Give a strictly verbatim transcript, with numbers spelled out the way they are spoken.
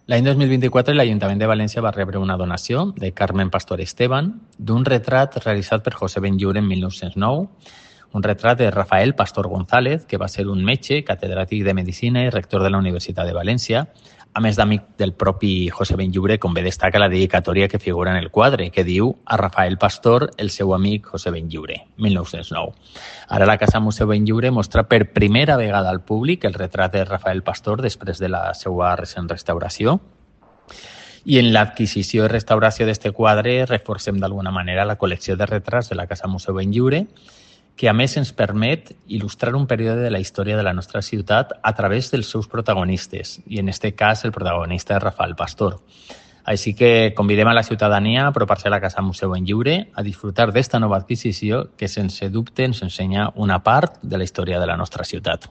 L'any dos mil vint-i-quatre l'Ajuntament de València va rebre una donació de Carmen Pastor Esteban d'un retrat realitzat per José Benlliure en mil nou-cents nou, un retrat de Rafael Pastor González, que va ser un metge, catedràtic de Medicina i rector de la Universitat de València, a més d'amic del propi José Benlliure, com bé destaca la dedicatòria que figura en el quadre, que diu a Rafael Pastor, el seu amic José Benlliure, mil nou-cents nou. Ara la Casa Museu Benlliure mostra per primera vegada al públic el retrat de Rafael Pastor després de la seva recent restauració. I en l'adquisició i restauració d'aquest quadre reforcem d'alguna manera la col·lecció de retrats de la Casa Museu Benlliure, que a més ens permet il·lustrar un període de la història de la nostra ciutat a través dels seus protagonistes, i en aquest cas el protagonista és Rafael Pastor. Així que convidem a la ciutadania a apropar-se a la Casa Museu Benlliure a disfrutar d'esta nova adquisició que sense dubte ens ensenya una part de la història de la nostra ciutat.